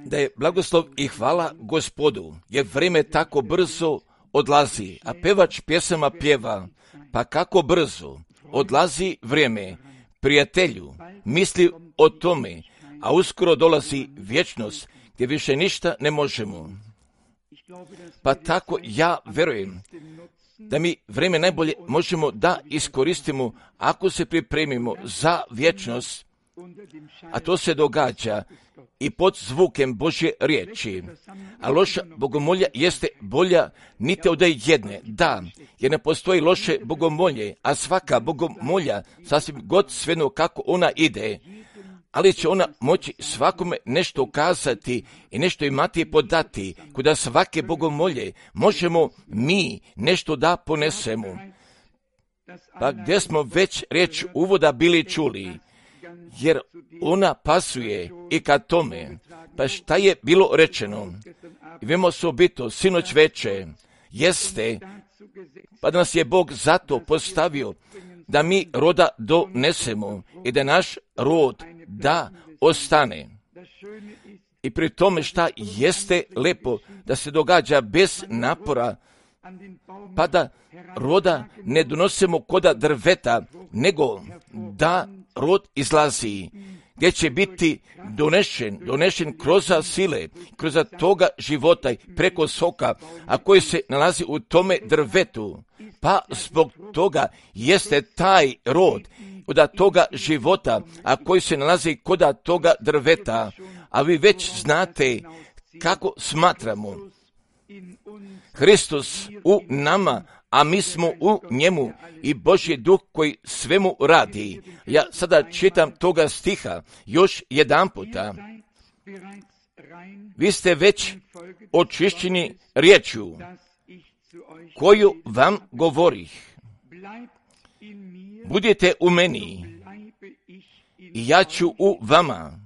da je blagoslov i hvala Gospodu, jer vrijeme tako brzo odlazi, a pevač pjesama pjeva, pa kako brzo odlazi vrijeme, prijatelju, misli o tome, a uskoro dolazi vječnost, gdje više ništa ne možemo. Pa tako ja vjerujem da mi vrijeme najbolje možemo da iskoristimo ako se pripremimo za vječnost, a to se događa i pod zvukem Božje riječi. A loša bogomolja jeste bolja niti od jedne. Da, jer ne postoji loše bogomolje, a svaka bogomolja, sasvim god svejedno kako ona ide, ali će ona moći svakome nešto ukazati i nešto imati podati, kuda svake bogomolje možemo mi nešto da ponesemo. Pa gdje smo već riječ uvoda bili čuli, jer ona pasuje i ka tome. Pa šta je bilo rečeno? I vemo osobito, sinoć veče, jeste, pa da nas je Bog zato postavio da mi roda donesemo i da naš rod da ostane. I pri tome šta jeste lepo da se događa bez napora, pa da roda ne donosimo koda drveta, nego da rod izlazi, gdje će biti donešen kroz sile, kroz toga života preko soka, a koji se nalazi u tome drvetu. Pa zbog toga jeste taj rod od toga života, a koji se nalazi kod toga drveta. A vi već znate kako smatramo. Hristos u nama, a mi smo u njemu i Božji duh koji svemu radi. Ja sada čitam toga stiha još jedan puta. Vi ste već očišćeni riječju koju vam govorih. Budite u meni i ja ću u vama.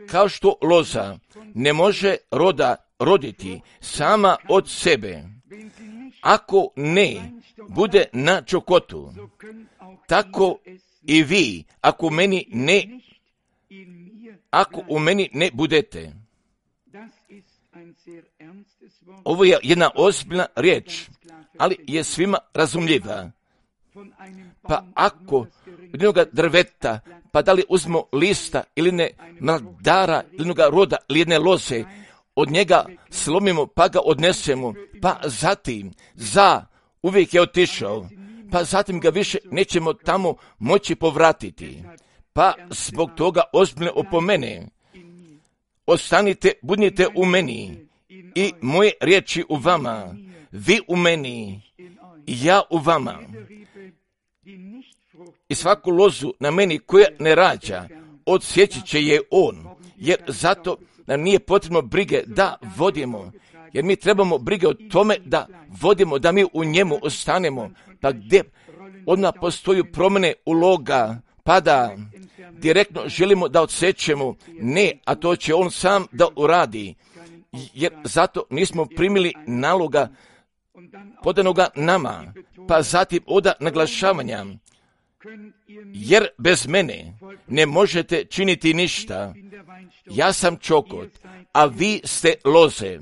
Kao što loza ne može roda roditi sama od sebe, ako ne bude na čokotu, tako i vi, ako u meni ne budete. Ovo je jedna ozbiljna riječ, ali je svima razumljiva. Pa ako od jednoga drveta, pa da li uzmemo lista ili ne mladara, ili jednoga roda, ili jedne loze, od njega slomimo, pa ga odnesemo, pa zatim uvijek je otišao, pa zatim ga više nećemo tamo moći povratiti. Pa zbog toga ozbiljno opomene. Ostanite, budite u meni i moje riječi u vama, vi u meni i ja u vama. I svaku lozu na meni koja ne rađa, odsjeći će je on, jer zato nam nije potrebno brige da vodimo, jer mi trebamo brige o tome da vodimo, da mi u njemu ostanemo, pa gdje odmah postoji promjene uloga, pa da direktno želimo da odsjećemo, ne, a to će on sam da uradi, jer zato nismo primili naloga podanoga nama, pa zatim oda naglašavanja, jer bez mene ne možete činiti ništa. Ja sam čokot, a vi ste loze.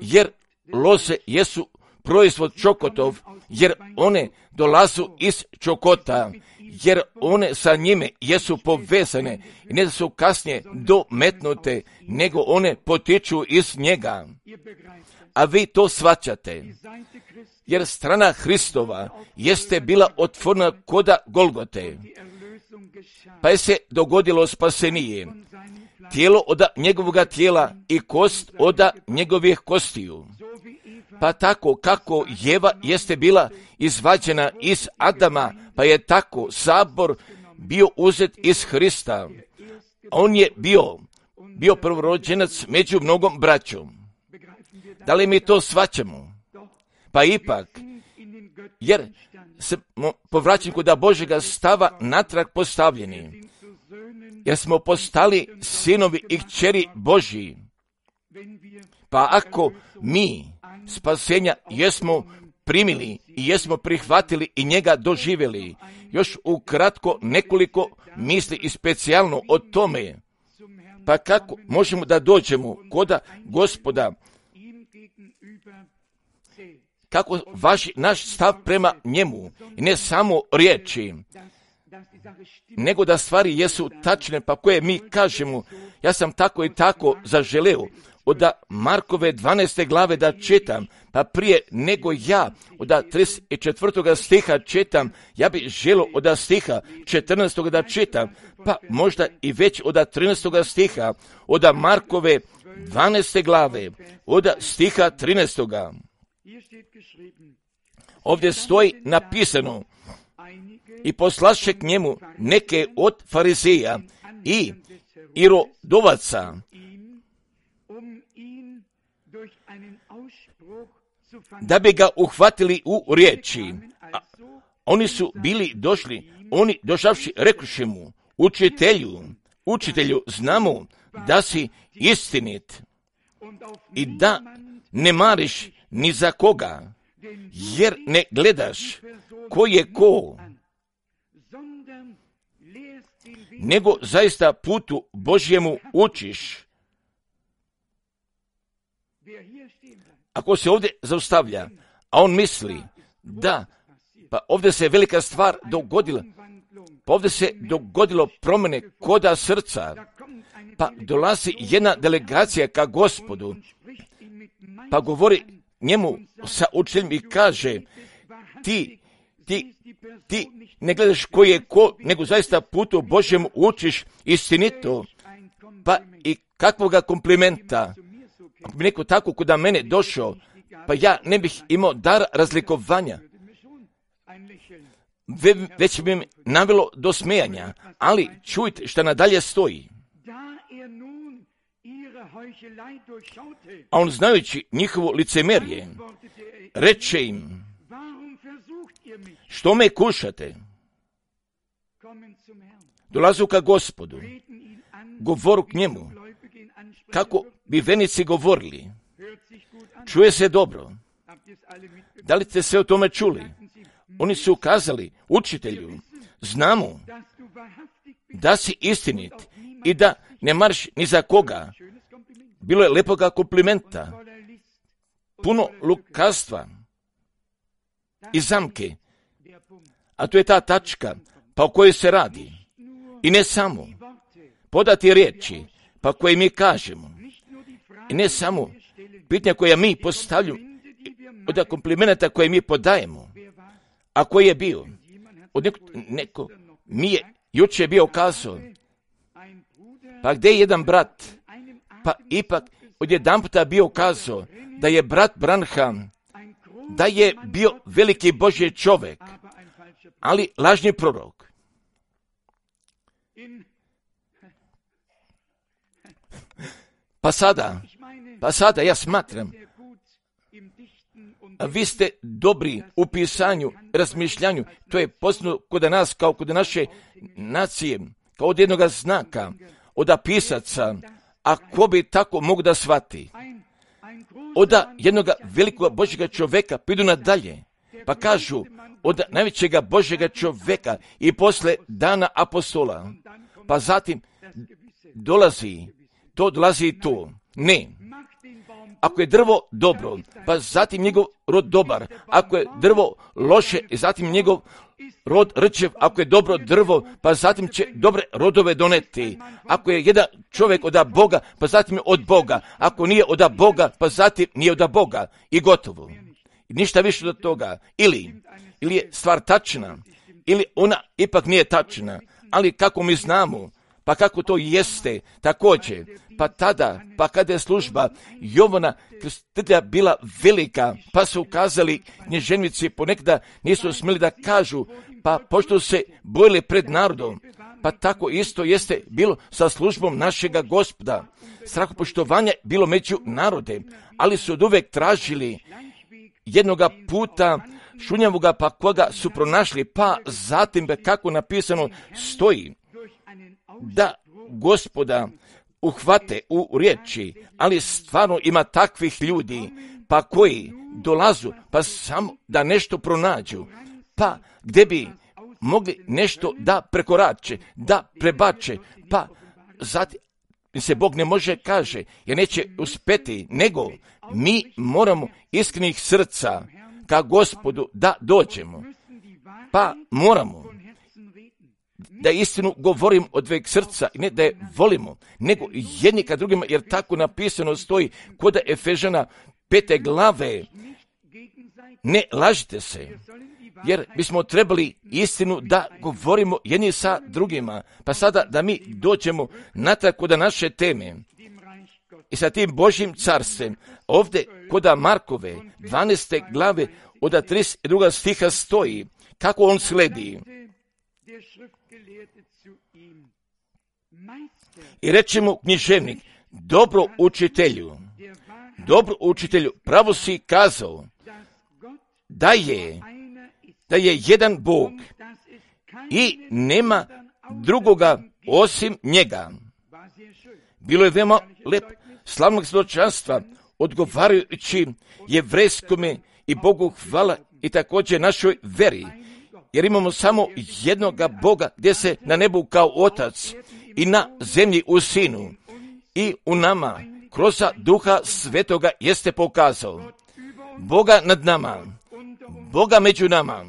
Jer loze jesu proizvod čokotov, jer one dolazu iz čokota, jer one sa njime jesu povezane i ne da su kasnije dometnute, nego one potiču iz njega. A vi to shvaćate, jer strana Hristova jeste bila otvorena koda Golgote, pa je se dogodilo spasenije, tijelo od njegovoga tijela i kost od njegovih kostiju. Pa tako kako Jeva jeste bila izvađena iz Adama, pa je tako sabor bio uzet iz Hrista. On je bio prvorođenac među mnogom braćom. Da li mi to shvaćamo? Pa ipak, jer se povraćam kod Božjega stava natrag postavljeni, jer smo postali sinovi i kćeri Božji. Pa ako mi spasenja jesmo primili i jesmo prihvatili i njega doživjeli, još ukratko nekoliko misli i specijalno o tome, Pa kako možemo da dođemo koda Gospoda? Kako važi naš stav prema njemu? I ne samo riječi, nego da stvari jesu tačne, pa koje mi kažemo, ja sam tako i tako zaželeo od Markove 12. glave da čitam, pa prije nego ja od 34. stiha čitam, ja bih želio od stiha 14. da čitam, pa možda i već od 13. stiha, od Markove 12. glave, od stiha 13. Ovdje stoji napisano: i poslaše k njemu neke od farizeja i irodovaca, da bi ga uhvatili u riječi. Oni su bili došli, oni došavši rekuše mu: učitelju, znamo da si istinit i da ne mariš ni za koga, jer ne gledaš ko je ko, nego zaista putu Božjemu učiš. Ako se ovdje zaustavlja, a on misli da, pa ovdje se velika stvar dogodila, pa ovdje se dogodilo promjene koda srca, pa dolazi jedna delegacija ka Gospodu, pa govori njemu sa učiteljem i kaže: ti ne gledaš ko je ko, nego zaista putu Božjemu učiš istinito. Pa i kakvoga komplimenta, ako bi neko tako kuda mene došao, pa ja ne bih imao dar razlikovanja, već bi mi navelo do smijanja, ali čujte šta nadalje stoji. A on, znajući njihovo licemerje, reče im: što me kušate? Dolazu ka Gospodu, govoru k njemu, kako bi venici govorili. Čuje se dobro. Da li ste sve o tome čuli? Oni su ukazali: učitelju, znamo da si istinit i da ne mariš ni za koga. Bilo je lepoga komplimenta, puno lukavstva i zamke, a to je ta tačka pa o kojoj se radi. I ne samo podati riječi pa koje mi kažemo, i ne samo pitanja koja mi postavljamo, od komplimenta koje mi podajemo, a koji je bio. Od neko mi je juče bio kazao: pa gdje je jedan brat? Pa ipak odjedanputa bio kazao da je brat Branham, da je bio veliki Božji čovjek, ali lažni prorok. Pa sada ja smatram, a vi ste dobri u pisanju, razmišljanju, to je posebno kod nas, kao kod naše nacije, kao od jednoga znaka, od pisaca, a ko bi tako mogu da shvati? Od jednoga velikog Božjega čovjeka pidu nadalje, pa kažu od najvećega Božjega čovjeka i posle dana apostola, pa zatim dolazi to. Ne. Ako je drvo dobro, pa zatim njegov rod dobar. Ako je drvo loše, zatim njegov rod rčev. Ako je dobro drvo, pa zatim će dobre rodove doneti. Ako je jedan čovjek od Boga, pa zatim je od Boga. Ako nije od Boga, pa zatim nije od Boga. I gotovo. I ništa više od toga. Ili je stvar tačna, ili ona ipak nije tačna. Ali kako mi znamo, pa kako to jeste, također, pa tada, pa kada je služba Jovana Krstitelja bila velika, pa su ukazali knježevnici, ponekada nisu smjeli da kažu, pa pošto se bojili pred narodom, pa tako isto jeste bilo sa službom našega Gospoda. Strahopoštovanje bilo među narode, ali su oduvek tražili jednoga puta šunjavoga, pa koga su pronašli, pa zatim, kako napisano stoji, da Gospoda uhvate u riječi, ali stvarno ima takvih ljudi, pa koji dolazu, pa samo da nešto pronađu, pa gdje bi mogli nešto da prekorače, da prebače, pa zatim se Bog ne može kaže, jer neće uspjeti, nego mi moramo iskrenih srca ka Gospodu da dođemo. Pa moramo da istinu govorim od veg srca, i ne da je volimo, nego jedni ka drugima, jer tako napisano stoji kod Efežana 5. glave, ne lažite se, jer bismo trebali istinu da govorimo jedni sa drugima. Pa sada da mi dođemo natrag kod naše teme i sa tim Božjim carstvom, ovdje kod Markove 12. glave od 32. stiha stoji kako on sledi. I reče mu književnik, dobro učitelju, pravo si kazao da je jedan Bog i nema drugoga osim njega. Bilo je veoma lep slavnog svjedočanstva, odgovarajući jevrejskome i Bogu hvala i također našoj veri, jer imamo samo jednoga Boga gdje se na nebu kao Otac i na zemlji u Sinu i u nama kroz Duha Svetoga jeste pokazao Boga nad nama, Boga među nama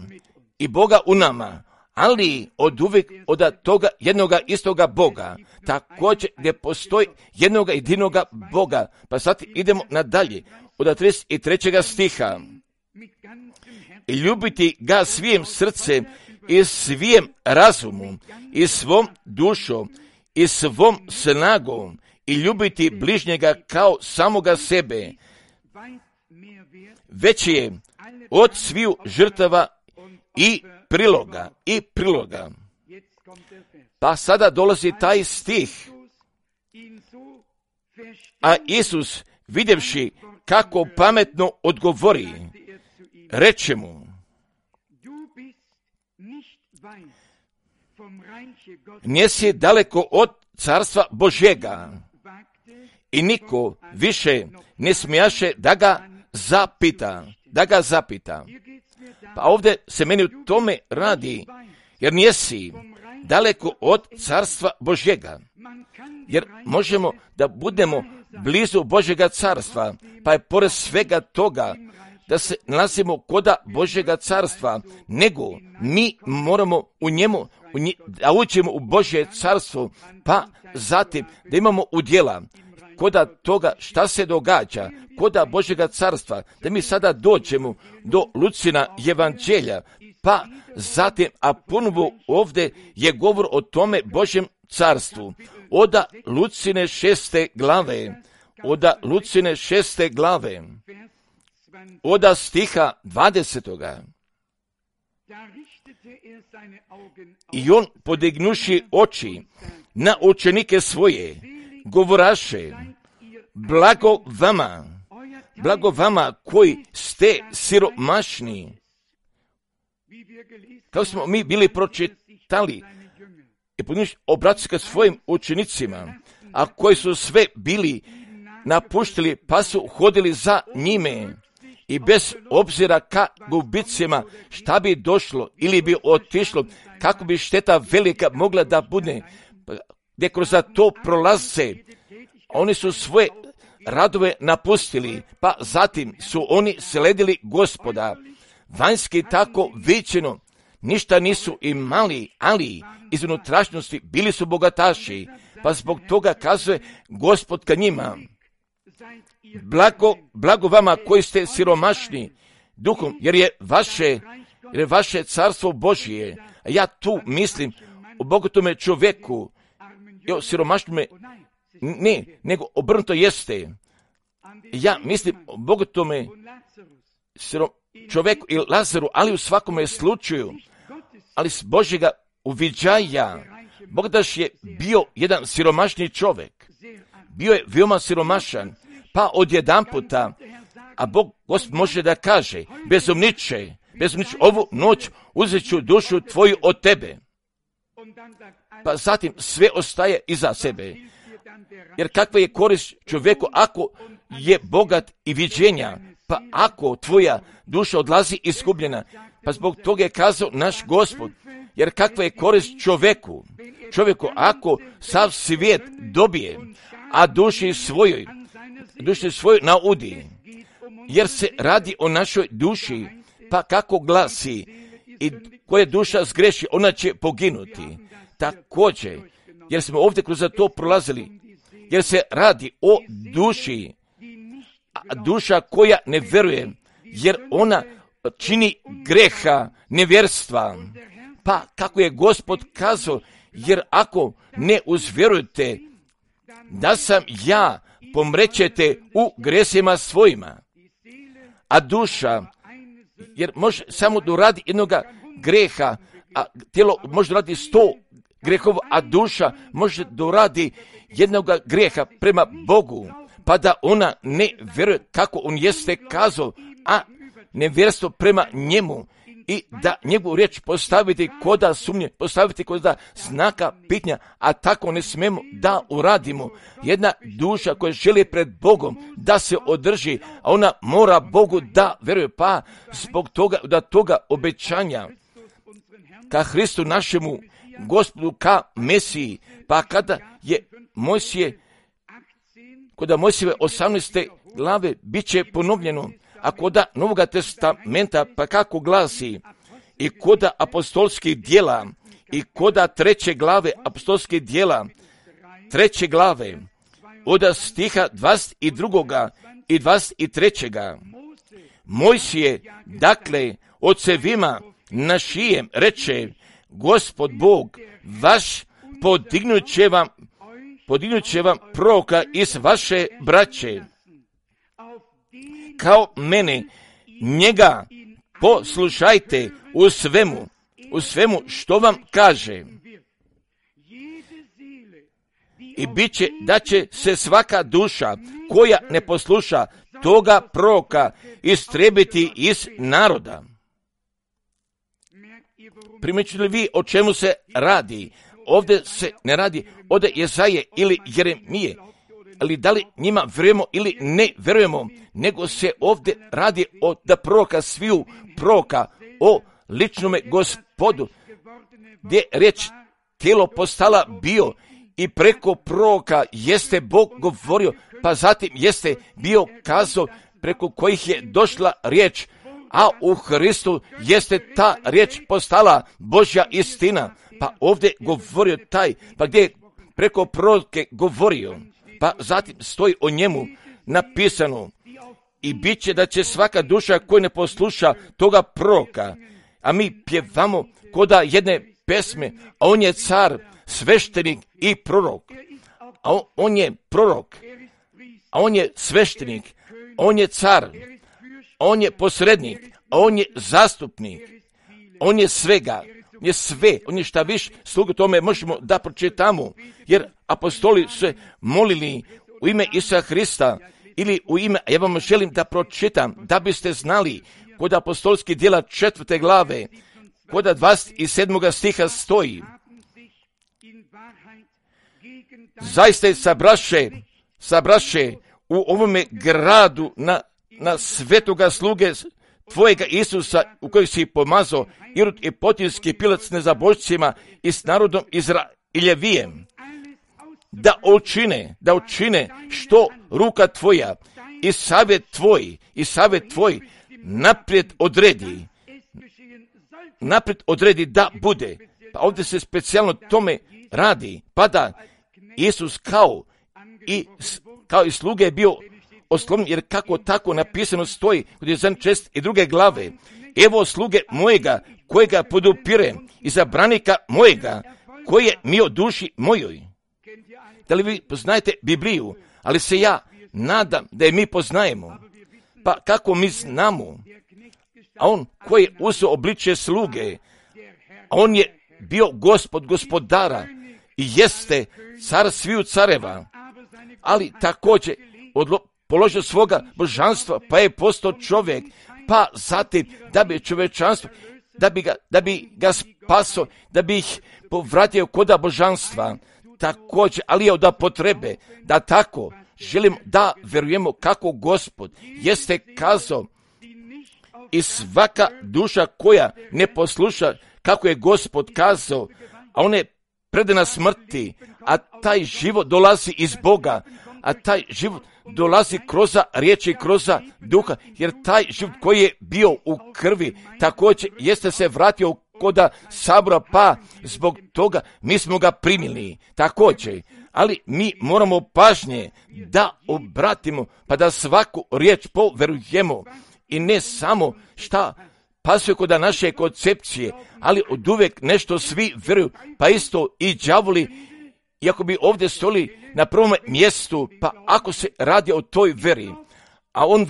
i Boga u nama, ali od uvijek od toga jednoga istoga Boga, također gdje postoji jednoga jedinoga Boga. Pa sad idemo nadalje od 33. stiha. I ljubiti ga svim srcem i svim razumom i svom dušom i svom snagom i ljubiti bližnjega kao samoga sebe. Već je od sviju žrtava i priloga. Pa sada dolazi taj stih. A Isus, vidjevši kako pametno odgovori, reče mu, nisi daleko od carstva Božjega. I niko više ne smijaše da ga zapita. Pa ovdje se meni u tome radi, jer nisi daleko od carstva Božjega. Jer možemo da budemo blizu Božjega carstva, pa je pored svega toga da se nalazimo koda Božjega carstva, nego mi moramo da uđemo u Božje carstvo, pa zatim da imamo udjela koda toga šta se događa, koda Božjega carstva, da mi sada dođemo do Lucina evanđelja, pa zatim, a ponovo ovdje je govor o tome Božjem carstvu, oda Lucine 6. glave, oda stiha 20. I on podignuši oči na učenike svoje, govoraše, blago vama koji ste siromašni. Kao smo mi bili pročitali i obratili se ka svojim učenicima, a koji su sve bili napuštili pa su hodili za njime i bez obzira ka gubicima šta bi došlo ili bi otišlo, kako bi šteta velika mogla da bude, gdje kroz to prolaze, oni su svoje radove napustili, pa zatim su oni sledili Gospoda. Vanjski tako viđeno ništa nisu imali, ali iz unutrašnjosti bili su bogataši, pa zbog toga kazuje Gospod ka njima, blago vama koji ste siromašni duhom, jer je vaše carstvo Božje. A ja tu mislim o bogatome čovjeku i o siromašnome, ne, nego obrnuto jeste. Ja mislim o bogatome čovjeku i Lazaru, ali u svakome slučaju, ali s Božjega uviđaja, Bogdaš je bio jedan siromašni čovjek, bio je veoma siromašan, pa odjedanputa, a Gospod može da kaže, bezumniče, ovu noć uzet ću dušu tvoju od tebe. Pa zatim sve ostaje iza sebe. Jer kakva je korist čovjeku ako je bogat i viđenja, pa ako tvoja duša odlazi izgubljena, pa zbog toga je kazao naš Gospod, Jer kakva je korist čovjeku ako sav svijet dobije, a duši svojoj naudi. Jer se radi o našoj duši, pa kako glasi, i koja duša zgreši, ona će poginuti. Također, jer smo ovdje kroz to prolazili, jer se radi o duši, duša koja ne vjeruje, jer ona čini greha, nevjerstva. Pa kako je Gospod kazao, jer ako ne uzvjerujete da sam ja, pomrećete u gresima svojima. A duša, jer može samo doradi jednoga greha, a tijelo može doradi 100 grehova, a duša može doradi jednoga greha prema Bogu, pa da ona ne vjeruje kako on jeste kazao, a nevjerstvo prema njemu, i da njegovu riječ postaviti koda sumnje, postaviti koda znaka pitanja, a tako ne smemo da uradimo. Jedna duša koja želi pred Bogom da se održi, a ona mora Bogu da vjeruje, pa zbog toga obećanja ka Hristu našemu Gospodu, ka Mesiji, pa kada je kod Mojsijeve 18. glave bit će ponovljeno, a koda Novoga testamenta, pa kako glasi, i koda apostolskih dijela, i koda 3. glave apostolskih dijela, 3. glave, od stiha 22. i 23. Mojsije, dakle, ocevima našijem reče, Gospod Bog vaš podignut će vam proroka iz vaše braće, kao mene, njega poslušajte u svemu što vam kaže. I bit će da će se svaka duša koja ne posluša toga proroka istrebiti iz naroda. Primjećujete li vi o čemu se radi? Ovdje se ne radi od Jesaje ili Jeremije, ali da li njima vjerujemo ili ne vjerujemo, nego se ovdje radi od proroka, sviju proroka, o ličnome Gospodu, gdje riječ tijelo postala bio i preko proroka jeste Bog govorio, pa zatim jeste bio kazao preko kojih je došla riječ, a u Hristu jeste ta riječ postala Božja istina. Pa ovdje govorio taj, pa gdje je preko proroke govorio, pa zatim stoji o njemu napisano, i bit će da će svaka duša koja ne posluša toga proroka, a mi pjevamo koda jedne pesme, a on je car, sveštenik i prorok, a on je prorok, a on je sveštenik, on je car, on je posrednik, a on je zastupnik, on je svega, je sve, on je šta više, slugu tome možemo da pročitamo, jer apostoli se molili u ime Isusa Hrista ili u ime, ja vam želim da pročitam, da biste znali, kod apostolskih djela 4. glave, kod 27. stiha stoji, zaista je sabraše u ovome gradu na svetoga sluge tvojega Isusa, u kojeg si pomazao, Irod i Poncijski Pilat s nezabožcima i s narodom Izraeljevijem, da učine što ruka tvoja i savjet tvoj naprijed odredi da bude. Pa ovdje se specijalno tome radi, pa da Isus kao i sluge je bio oslomljen, jer kako tako napisano stoji kod Jezan 6 i 2. glave, evo sluge mojega kojega podupire i zabranika mojega koje mi o duši mojoj. Da li vi poznajete Bibliju? Ali se ja nadam da je mi poznajemo. Pa kako mi znamo? A on koji je uzeo obličje sluge, a on je bio Gospod gospodara i jeste car sviju careva, ali također položio svoga božanstva, pa je postao čovjek, pa zatim da bi čovječanstvo, da bi ga spasao, da bi ih povratio koda božanstva, također, ali je od potrebe da tako želimo da vjerujemo kako Gospod jeste kazao, i svaka duša koja ne posluša kako je Gospod kazao, a on je predana smrti, a taj život dolazi iz Boga, a taj život dolazi kroz riječi, kroz duha, jer taj život koji je bio u krvi, također jeste se vratio koda sabora, pa zbog toga mi smo ga primili također. Ali mi moramo pažnje da obratimo, pa da svaku riječ poverujemo i ne samo šta pasuje kod naše koncepcije, ali od uvijek nešto svi vjeruju, pa isto i đavoli, iako bi ovdje stoli na prvom mjestu, pa ako se radi o toj veri, a on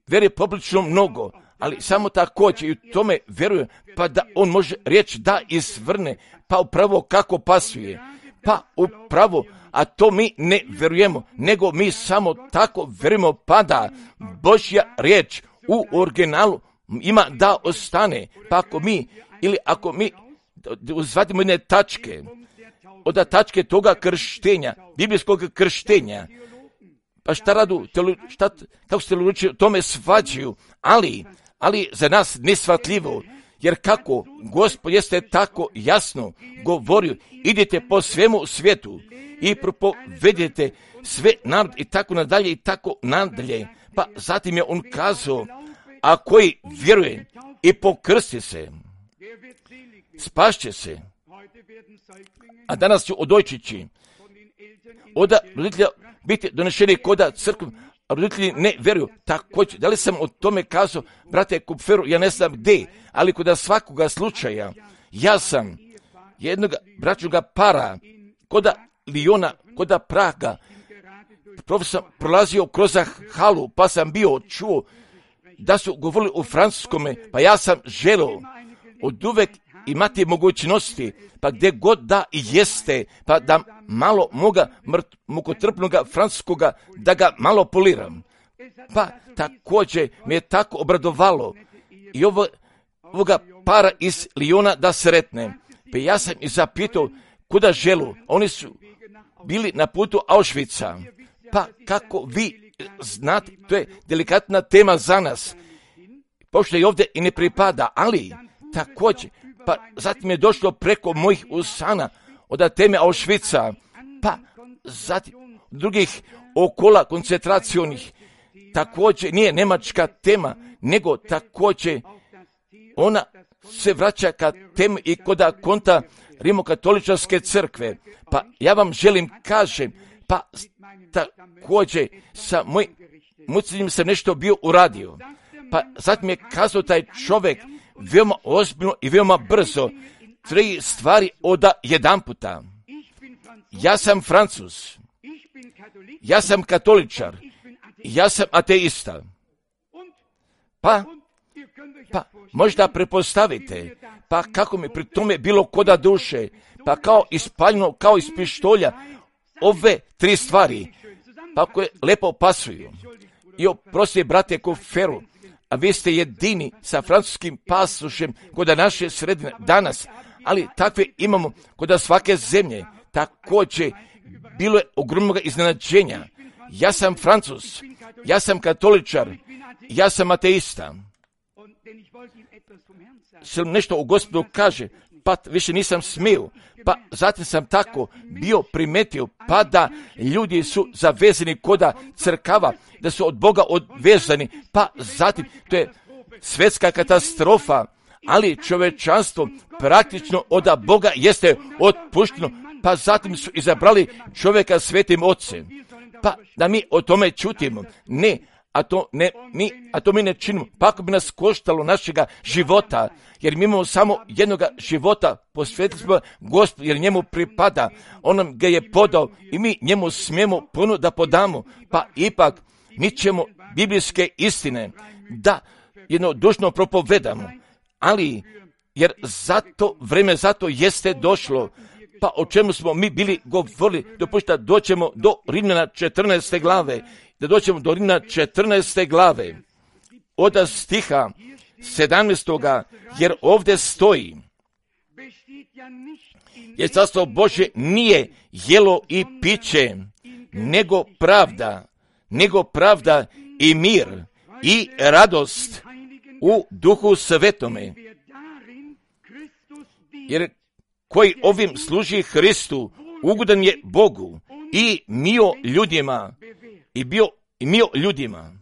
veruje poprilično mnogo, ali samo također i u tome vjeruje, pa da on može reći da izvrne, pa upravo kako pasuje, pa upravo, a to mi ne vjerujemo, nego mi samo tako vjerujemo, pa da Božja riječ u originalu ima da ostane, pa ako mi uzvadimo jedne tačke, od tačke toga krštenja, biblijskog krštenja, pa šta radu, kako se teologi o tome svađaju, ali za nas nesvatljivo, jer kako Gospod jeste tako jasno govorio, idite po svemu svijetu i propovedite sve narod i tako nadalje, pa zatim je on kazao, a koji vjeruje i pokrsti se, spašće se. A danas ću odojčići od roditelja biti donešeni koda crkvu, a roditelji ne vjeruju. Također, da li sam o tome kazao, brate Kupferu, ja ne znam gdje, ali kod svakoga slučaja, ja sam jednog bračnoga para, koda Lijona, koda Praga, profesor prolazio kroz halu, pa sam bio čuo da su govorili u francuskome, pa ja sam želio od uvek imati mogućnosti, pa gdje god da jeste, pa da malo moga mukotrpnoga francuskoga, da ga malo poliram. Pa također me je tako obradovalo i ovoga para iz Lijona da sretne. Pa ja sam i zapitao kuda želu, oni su bili na putu Auschwitza. Pa kako vi znate, to je delikatna tema za nas, pošto i ovdje i ne pripada, ali također, pa zatim je došlo preko mojih usana od teme Auschwitza, pa zatim drugih okola koncentracionih, također nije njemačka tema, nego također ona se vraća ka temi i koda konta rimokatoličarske crkve. Pa ja vam želim kažem, pa također sa mojim muciljem sam nešto bio uradio. Pa zatim je kazao taj čovjek veoma ozbiljno i veoma brzo 3 stvari od jedan puta. Ja sam Francuz, ja sam katoličar, ja sam ateista. Pa možda prepostavite, pa kako mi pri tome bilo koda duše, pa kao ispaljeno, kao iz pištolja, ove 3 stvari, pa koje lepo pasuju. I oprosti, brate Kupferu, a vi ste jedini sa francuskim pasošem kod naše sredine danas, ali takve imamo kod svake zemlje. Također, bilo je ogromnog iznenađenja. Ja sam Francuz, ja sam katoličar, ja sam ateista. Sve nešto u Gospodu kaže, pa više nisam smio, pa zatim sam tako bio primetio, pa da ljudi su zavezani koda crkava, da su od Boga odvezani, pa zatim to je svjetska katastrofa, ali čovečanstvo praktično od Boga jeste otpušteno, pa zatim su izabrali čovjeka svetim ocem. Pa da mi o tome čutimo, ne, a to mi ne činimo, pa ako bi nas koštalo našega života, jer mi imamo samo jednoga života, posvetili smo Gospodu, jer njemu pripada, on nam ga je podao i mi njemu smijemo puno da podamo, pa ipak mi ćemo biblijske istine da jednodušno propovedamo, ali jer vreme zato jeste došlo, pa o čemu smo mi bili govorili, dopušta doćemo do Rimljana 14. glave, da doćemo do Rimljana 14. glave, od stiha 17. jer ovdje stoji, jer carstvo Božje nije jelo i piće, nego pravda i mir i radost u Duhu Svetome. jer koji ovim služi Hristu, ugodan je Bogu i mio ljudima, mio ljudima.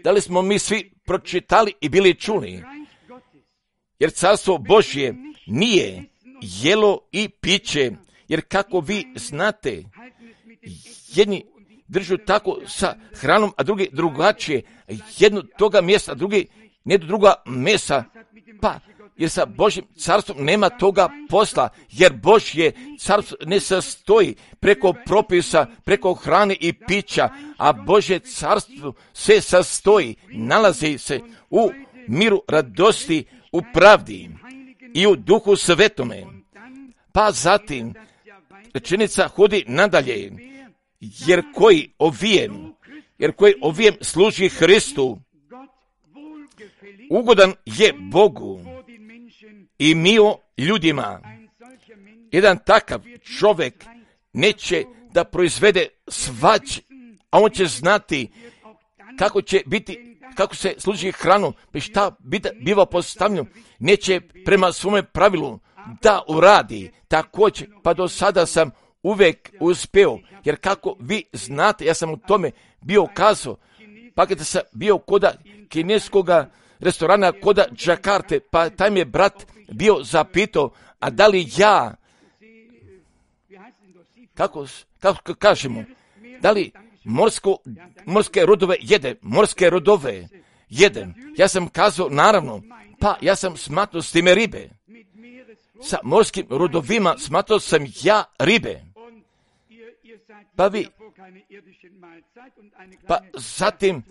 Da li smo mi svi pročitali i bili čuli? Jer carstvo Božje nije jelo i piće, jer kako vi znate, jedni držu tako sa hranom, a drugi drugačije, jedno toga mjesta, drugi ne do druga mesa, pa jer sa Božjim carstvom nema toga posla, jer Božje carstvo ne sastoji preko propisa, preko hrane i pića, a Božje carstvo se sastoji, nalazi se u miru, radosti, u pravdi i u duhu svetome. Pa zatim rečenica hodi nadalje, jer koji ovijem služi Hristu, ugodan je Bogu i mio ljudima. Jedan takav čovjek neće da proizvede svađe, a on će znati kako će biti, kako se služi hranu, šta biva postavljeno, neće prema svome pravilu da uradi. Također, pa do sada sam uvijek uspeo, jer kako vi znate, ja sam u tome bio kazao, pa kada sam bio koda kineskoga restorana koda Džakarte, pa taj mi je brat bio zapitao, a da li ja, kako kažemo, da li morske rodove jedem? Ja sam kazao, naravno, pa ja sam smatrao s time ribe. Sa morskim rodovima smatrao sam ja ribe. Pa zatim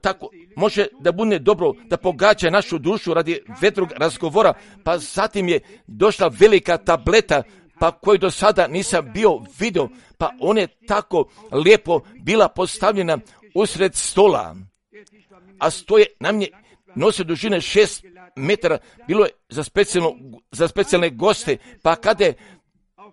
tako može da bude dobro da pogađa našu dušu radi vedrog razgovora, pa zatim je došla velika tableta, pa koju do sada nisam bio vidio, pa ona je tako lijepo bila postavljena usred stola, a stoje na mnje nosio dužine 6 metara, bilo je za specijalne goste, pa kada je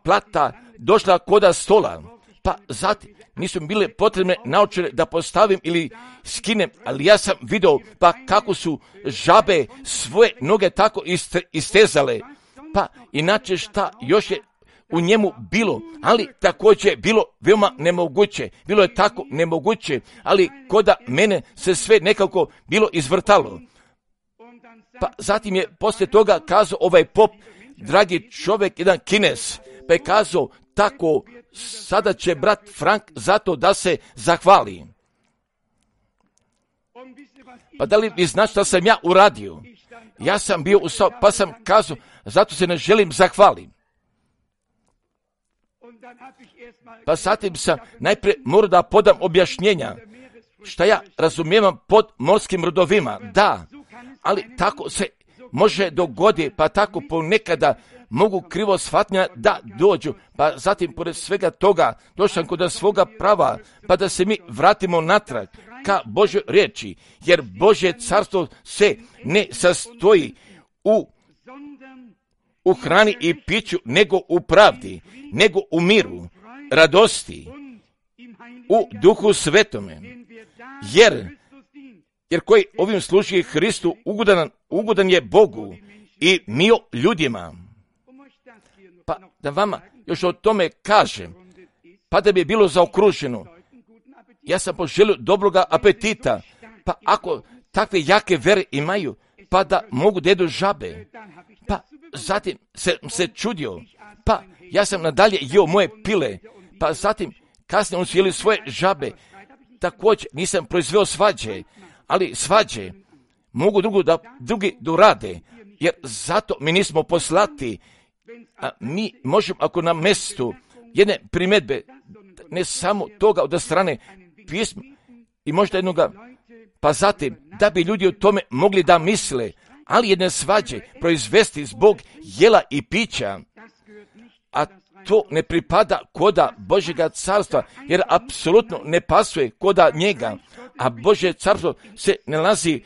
plata došla koda stola, pa zatim nisu bile potrebne naočare da postavim ili skinem, ali ja sam vidio pa kako su žabe svoje noge tako istezale, pa inače šta još je u njemu bilo, ali također je bilo veoma nemoguće, bilo je tako nemoguće, ali koda mene se sve nekako bilo izvrtalo. Pa zatim je poslije toga kazao ovaj pop, dragi čovjek, jedan Kines, pa je kazao tako, sada će brat Frank zato da se zahvali. Pa da li vi znate šta sam ja uradio? Ja sam bio ustao, pa sam kazao, zato se ne želim zahvalim. Pa zatim sam najprije morao da podam objašnjenja, šta ja razumijevam pod morskim rodovima. Da, ali tako se može dogoditi, pa tako ponekada mogu krivo shvatnja da dođu, pa zatim pored svega toga došam kod svoga prava, pa da se mi vratimo natrag ka Božoj riječi, jer Božje carstvo se ne sastoji u hrani i piću, nego u pravdi, nego u miru, radosti, u duhu svetome, jer koji ovim služi Hristu ugodan je Bogu i mio ljudima. Pa da vama još o tome kažem, pa da bi je bilo zaokruženo, ja sam poželio dobroga apetita, pa ako takve jake vere imaju, pa da mogu da jedu žabe, pa zatim se čudio, pa ja sam nadalje jeo moje pile, pa zatim kasnije oni su jeli svoje žabe, također nisam proizveo svađe, ali svađe mogu drugi dorade, jer zato mi nismo poslati, a mi možemo ako na mjestu jedne primjedbe, ne samo toga od strane pisma i možda jednoga, pa zatim da bi ljudi o tome mogli da misle, ali jedne svađe proizvesti zbog jela i pića, a to ne pripada koda Božjega carstva, jer apsolutno ne pasuje koda njega, a Božje carstvo se nalazi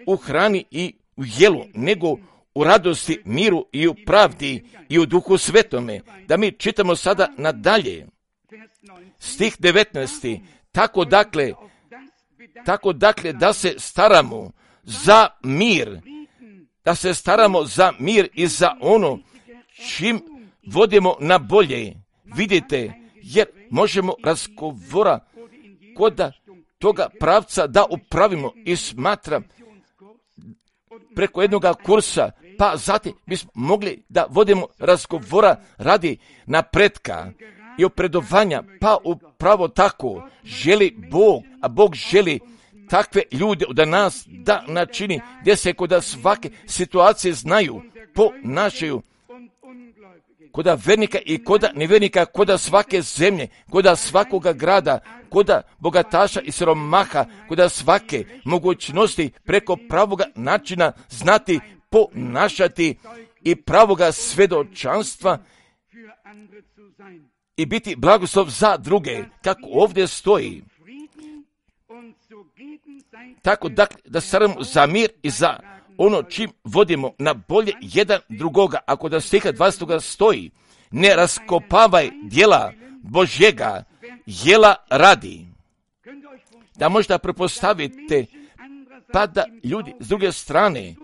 u hrani i u jelu, nego u radosti, miru i u pravdi i u duhu svetome. Da mi čitamo sada nadalje. Stih 19. Tako dakle da se staramo za mir, da se staramo za mir i za ono čim vodimo na bolje. Vidite, jer možemo razgovora kod toga pravca da upravimo i smatra preko jednoga kursa, pa zatim bismo mogli da vodimo razgovora radi napretka i opredovanja, pa upravo tako želi Bog, a Bog želi takve ljude od nas da načini, gdje se kod svake situacije znaju, ponašaju, kod vernika i kod nevernika, kod svake zemlje, kod svakoga grada, kod bogataša i siromaha, kod svake mogućnosti preko pravoga načina znati ponašati i pravoga svedočanstva i biti blagoslov za druge, kako ovdje stoji. Tako da staramo za mir i za ono čim vodimo na bolje jedan drugoga. Ako da stiha 20. stoji, ne raskopavaj djela Božjega, jela radi. Da možda prepostavite, pa da ljudi s druge strane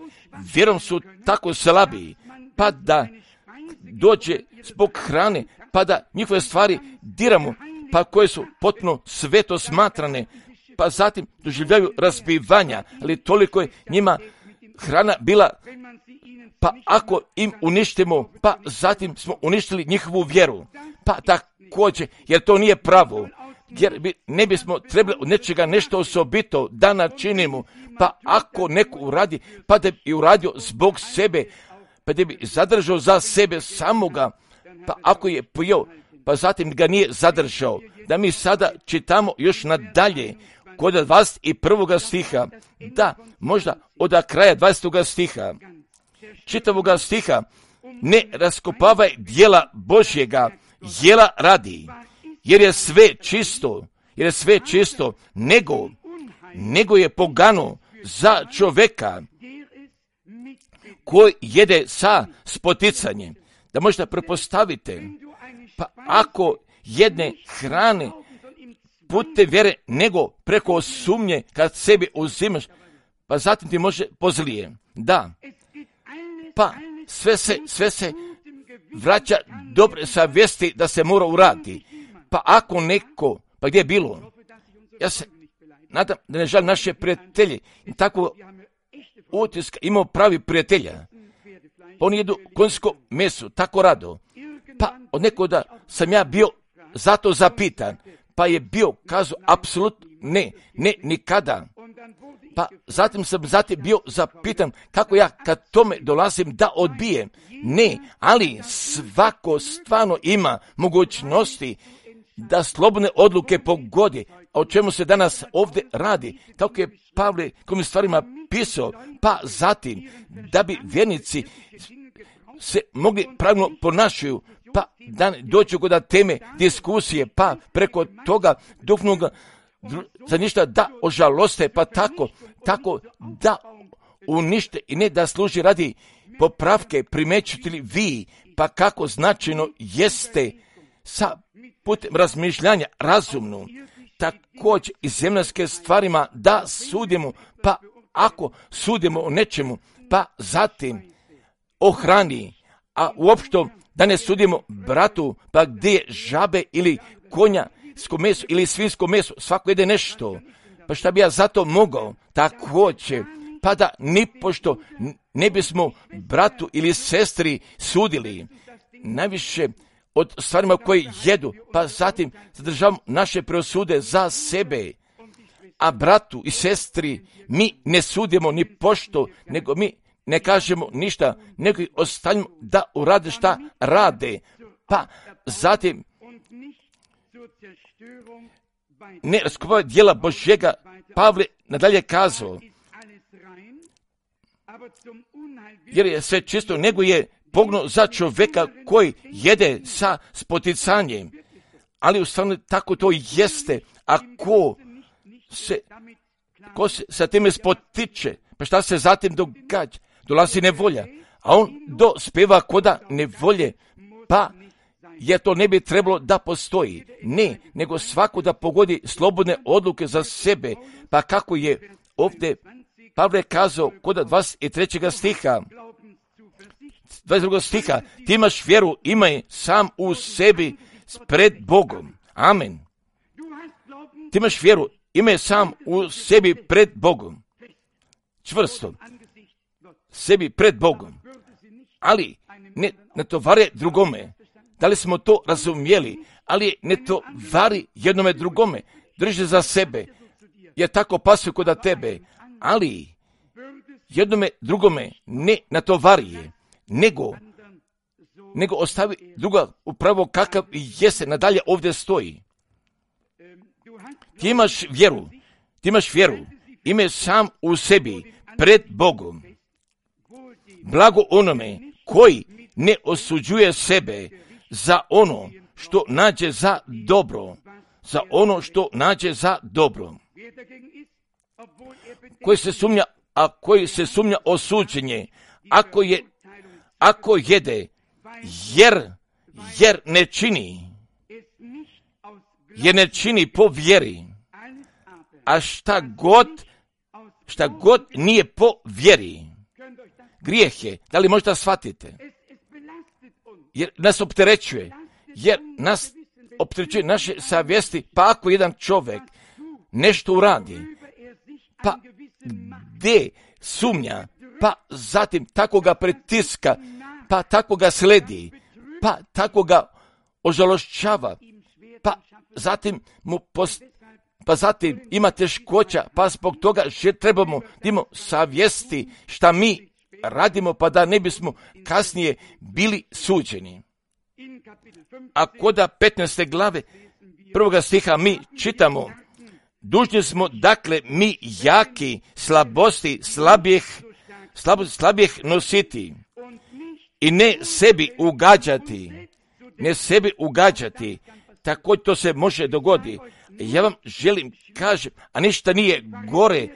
vjerom su tako slabi, pa da dođe zbog hrane, pa da njihove stvari diramo, pa koje su potpuno sveto smatrane, pa zatim doživljaju razbivanja, ali toliko je njima hrana bila, pa ako im uništimo, pa zatim smo uništili njihovu vjeru, pa također, jer to nije pravo, jer ne bismo trebali od nečega nešto osobito da načinimo, pa ako neko uradi, pa da bi uradio zbog sebe, pa da bi zadržao za sebe samoga, pa ako je pojeo, pa zatim ga nije zadržao, da mi sada čitamo još nadalje, kod 21. stiha, da možda od kraja 20. stiha, čitavoga stiha, ne raskopavaj djela Božjega, jela radi, jer je sve čisto, nego je pogano za čoveka koji jede sa spoticanjem. Da možda prepostavite, pa ako jedne hrane putem vjere, nego preko sumnje kad sebi uzimaš, pa zatim ti može pozlije. Da, pa sve se vraća dobre savjesti da se mora uraditi. Pa ako neko, pa gdje je bilo? Ja se nadam da ne žalim naše prijatelje. I tako utiska imao pravi prijatelja. Oni jedu konjsko meso, tako rado. Pa od nekoga sam ja bio zato zapitan, pa je bio kazao apsolutno ne, nikada. Pa zatim sam bio zapitan kako ja kad tome dolazim da odbijem. Ne, ali svako stvarno ima mogućnosti da slobodne odluke pogodi. A o čemu se danas ovdje radi? Kako je Pavle kojim stvarima pisao, pa zatim da bi vjernici se mogli pravilno ponašaju, pa da ne dođu kod teme diskusije, pa preko toga duhovnog za ništa da ožaloste, pa tako da unište i ne da služi radi popravke, primećujete li vi, pa kako značajno jeste sa putem razmišljanja razumno, također i zemljanske stvarima da sudimo, pa ako sudimo o nečemu, pa zatim o hrani, a uopšte da ne sudimo bratu, pa gdje je žabe ili konjasko meso ili svinjsko meso, svako jede nešto, pa šta bi ja zato mogao, također, pa da nipošto ne bismo bratu ili sestri sudili, najviše od stvarima koje jedu, pa zatim zadržavamo naše preosude za sebe, a bratu i sestri mi ne sudimo ni pošto, nego mi ne kažemo ništa, nego ih ostavimo da urade šta rade, pa zatim ne raskopavaj djela Božjega. Pavle nadalje kazao, jer je sve čisto, nego je pogno za čovjeka koji jede sa spoticanjem, ali u stvarno tako to jeste, a ko se sa time spotiče, pa šta se zatim događa? Dolazi nevolja, a on dospeva koda nevolje, pa jer to ne bi trebalo da postoji. Ne, nego svako da pogodi slobodne odluke za sebe, pa kako je ovdje Pavle je kazao kod 23. stiha, 22. stiha, ti imaš vjeru, imaj sam u sebi pred Bogom. Amen. Ti imaš vjeru, imaj sam u sebi pred Bogom. Čvrsto. Sebi pred Bogom. Ali ne tovare drugome. Da li smo to razumjeli? Ali ne tovari jednome drugome. Drži za sebe. Jer tako pasuje kod tebe. Ali jednome drugome ne natovarije. Nego ostavi druga upravo kakav jeste, nadalje ovdje stoji. Ti imaš vjeru, ime sam u sebi, pred Bogom. Blago onome koji ne osuđuje sebe za ono što nađe za dobro, koji se sumnja osuđenje, ako jede, jer ne čini po vjeri, a šta god nije po vjeri, grijeh je. Da li možda shvatite? Jer nas opterećuje, naše savjesti, pa ako jedan čovjek nešto uradi, pa gdje sumnja, pa zatim tako ga pritiska, pa tako ga sledi, pa tako ga ožalošćava, pa zatim ima teškoća, pa zbog toga trebamo imamo savjesti šta mi radimo, pa da ne bismo kasnije bili suđeni. A kod 15. glave 1. stiha mi čitamo: dužni smo, dakle, mi jaki slabosti slabijih nositi i ne sebi ugađati. Tako to se može dogoditi. Ja vam želim kažem, a ništa nije gore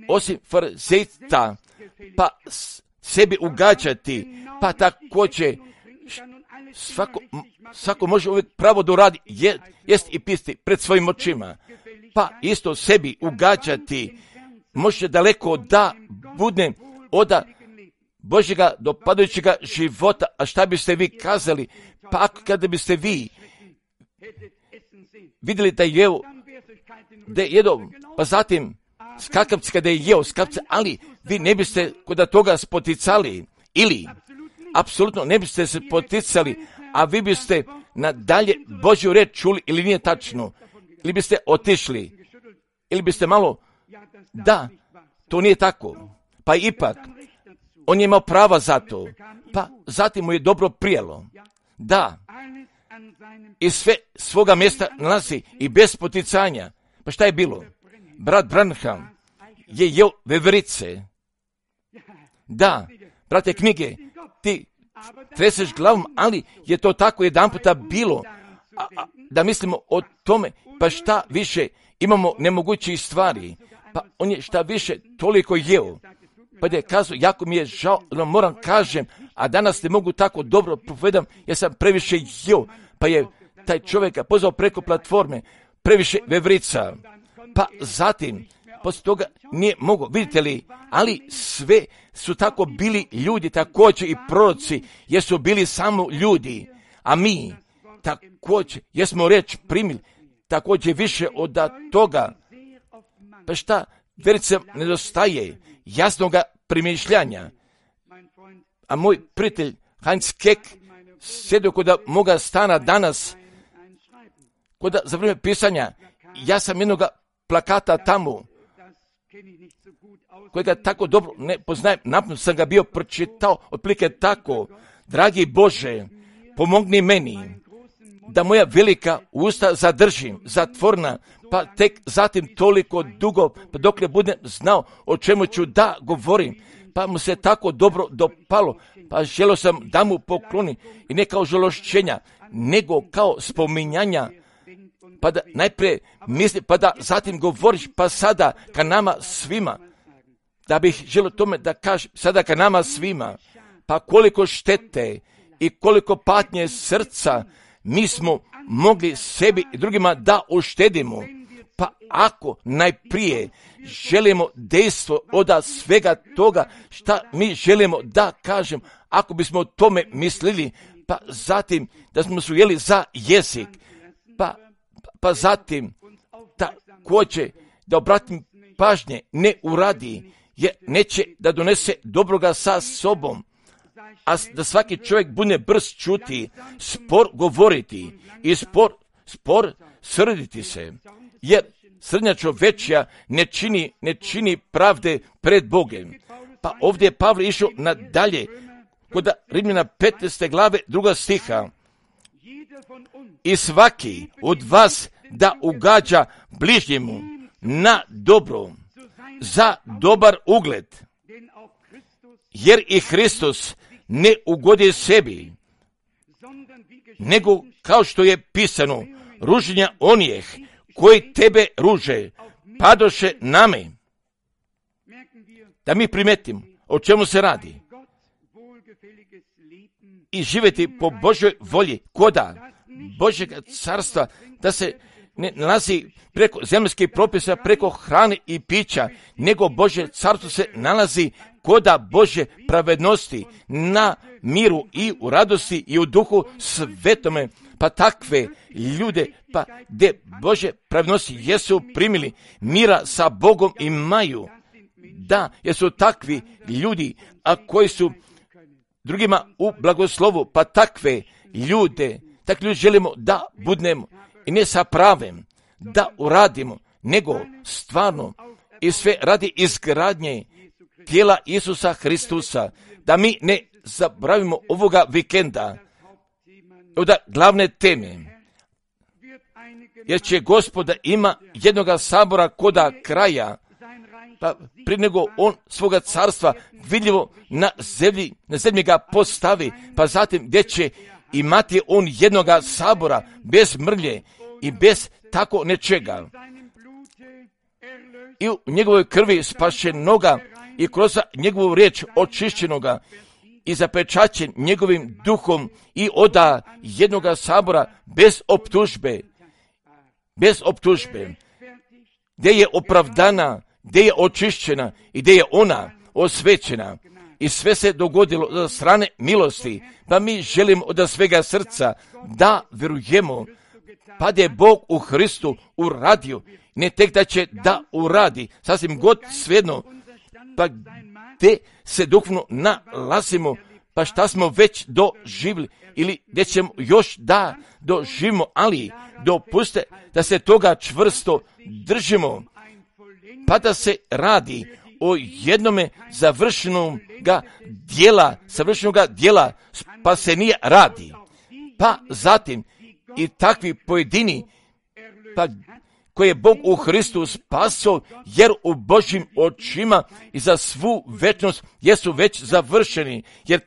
osim farizejca, pa sebi ugađati, pa također svako može uvijek pravo da uradi, jest i pisti pred svojim očima, pa isto sebi ugađati, može daleko da bude od Božjega dopadajućega života. A šta biste vi kazali, pa kada biste vi vidjeli da je jedo, pa zatim skakavci kada je jeo skakavci, ali vi ne biste kod toga spoticali, ili apsolutno ne biste se poticali, a vi biste nadalje Božju reč čuli, ili nije tačno, ili biste otišli, ili biste malo, da, to nije tako, pa ipak, on je imao prava za to, pa zatim mu je dobro prijelo, da, i sve svoga mjesta nalazi i bez poticanja. Pa šta je bilo? Brat Branham je jeo veverice. Da, brate knjige, ti treseš glavom, ali je to tako jedan puta bilo, da mislimo o tome, pa šta više imamo nemogućih stvari, pa on je šta više toliko jeo. Pa je kazao, jako mi je žao, moram kažem, a danas ne mogu tako dobro povedam, ja sam previše jeo, pa je taj čovjek pozvao preko platforme, previše veverica, pa zatim, poslije toga nije mogao, vidite li, ali sve su tako bili ljudi, također i proroci, jer su bili samo ljudi, a mi također, jesmo riječ primili, također više od toga, pa šta, vjerica nedostaje jasnoga primišljanja. A moj prijatelj Heinz Keck sjedio kod moga stana danas, kod za vrijeme pisanja, ja sam jednoga plakata tamo, kojega tako dobro ne poznajem, napunno sam ga bio pročitao, otprilike tako: dragi Bože, pomogni meni da moja velika usta zadržim zatvorena, pa tek zatim toliko dugo, pa dok ne budem znao o čemu ću da govorim, pa mu se tako dobro dopalo, pa želio sam da mu poklonim, i ne kao žalošćenja, nego kao spominjanja, pa da najprije misli, pa da zatim govoriš, pa sada ka nama svima, da bih želio tome da kažem, sada ka nama svima, pa koliko štete i koliko patnje srca mi smo mogli sebi i drugima da uštedimo, Pa ako najprije želimo dejstvo od svega toga šta mi želimo da kažem, ako bismo o tome mislili, pa zatim da smo se ujeli za jezik, pa zatim također da obratim pažnje ne uradi, jer neće da donese dobroga sa sobom, a da svaki čovjek bude brz čuti, spor govoriti i spor srditi se, jer srdnja čovečja ne čini pravde pred Bogom. Pa ovdje je Pavle išao nadalje, kod Rimljana 15. glave 2. stiha. I svaki od vas da ugađa bližnjemu na dobro, za dobar ugled, jer i Hristos ne ugodi sebi, nego kao što je pisano, ruženja onih koji tebe ruže, padoše name. Da mi primetimo o čemu se radi i živjeti po Božoj volji, koda Božjeg carstva, da se ne nalazi preko zemaljskih propisa, preko hrane i pića, nego Božje carstvo se nalazi koda Božje pravednosti, na miru i u radosti i u duhu svetome. Pa takve ljude, pa gdje Božje pravednosti jesu primili, mira sa Bogom imaju. Da, jer su takvi ljudi, a koji su drugima u blagoslovu, pa takvi ljudi želimo da budemo i ne sa pravem da uradimo, nego stvarno i sve radi izgradnje tijela Isusa Hristusa, da mi ne zaboravimo ovoga vikenda od glavne teme, jer će Gospoda ima jednoga sabora koda kraja, pa prije nego on svoga carstva vidljivo na zemlji ga postavi, pa zatim gdje će imati on jednoga sabora bez mrlje i bez tako nečega. I u njegovoj krvi spašenoga i kroz njegovu riječ očišćenoga i zapečaćen njegovim duhom i oda jednoga sabora bez optužbe, gdje je opravdana, gdje je očišćena i gdje je ona osvećena. I sve se dogodilo od strane milosti, pa mi želimo od svega srca da vjerujemo, pa da je Bog u Hristu uradio, ne tek da će da uradi, sasvim god svejedno, pa gdje se duhovno nalazimo, pa šta smo već doživjeli ili gdje ćemo još da doživimo, ali dopuste da se toga čvrsto držimo, pa da se radi o jednome savršenoga dijela spasenija radi. Pa zatim i takvi pojedini, pa koje je Bog u Hristu spaso, jer u Božjim očima i za svu večnost jesu već završeni, jer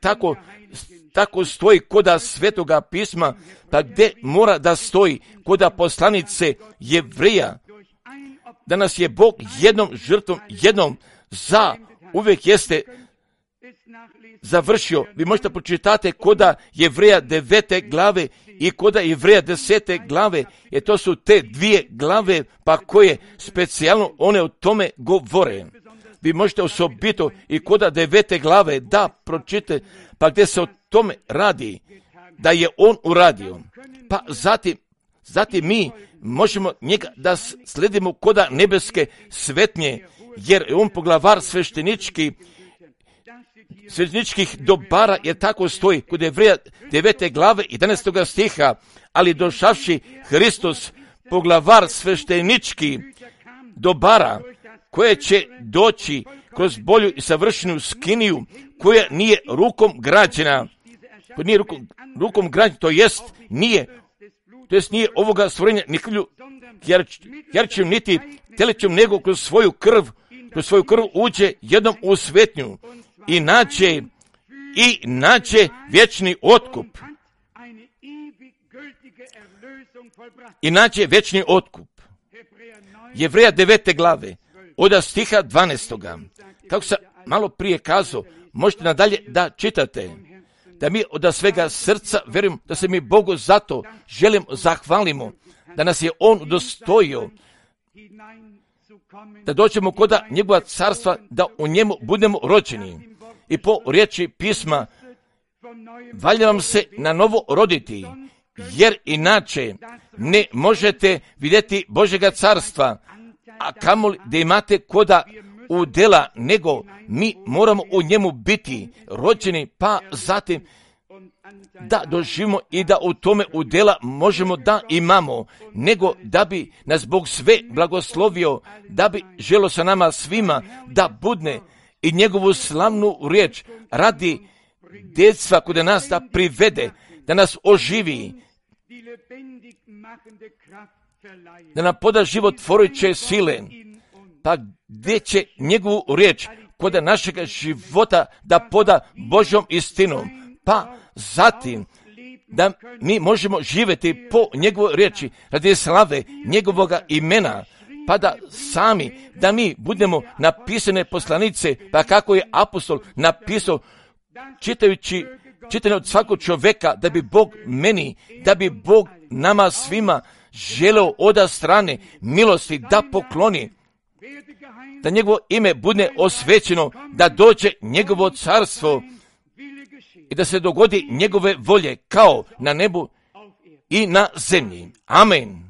tako stoji koda Svetoga pisma, pa gdje mora da stoji koda poslanice Jevreja, da nas je Bog jednom žrtvom, jednom za uvijek jeste završio. Vi možete pročitati koda Jevreja 9. glave i koda Jevreja 10. glave, jer to su te dvije glave pa koje specijalno one o tome govore. Vi možete osobito i koda 9. glave da pročitate, pa gdje se o tome radi, da je on uradio. Pa zatim mi možemo njega da sledimo koda nebeske svetnje, jer je on poglavar svešteničkih dobara, jer tako stoji kod Jevreja 9. glave 11. stiha, ali došavši Hristos poglavar svešteničkih dobara, koje će doći kroz bolju i savršenu skiniju, koja nije rukom građena, to jest nije ovoga stvorenja ni krvlju jarčim niti telećem, nego kroz svoju krv uđe jednom u svetnju i naće vječni otkup. Jevreja 9. glave, od stiha 12. Kako sam malo prije kazao, možete nadalje da čitate, da mi od svega srca vjerujem da se mi Bogu zato želimo zahvalimo, da nas je on udostojio da dođemo kod njegova carstva, da u njemu budemo rođeni. I po riječi pisma, valja vam se na novo roditi, jer inače ne možete vidjeti Božjega carstva, a kamoli da imate koda udjela, nego mi moramo u njemu biti rođeni, pa zatim da doživimo i da u tome udjela možemo da imamo, nego da bi nas Bog sve blagoslovio, da bi želo sa nama svima da budne i njegovu slavnu riječ radi djecva kod nas da privede, da nas oživi, da nam poda životvorujuće sile, pa gdje će njegovu riječ kod našeg života da poda Božjom istinom, pa zatim da mi možemo živjeti po njegovoj riječi radi slave njegovoga imena, pa da sami, da mi budemo napisane poslanice, pa kako je apostol napisao, čitajući od svakog čovjeka, da bi Bog meni, da bi Bog nama svima želeo od strane milosti da pokloni, da njegovo ime bude osvećeno, da dođe njegovo carstvo i da se dogodi njegove volje kao na nebu i na zemlji. Amen.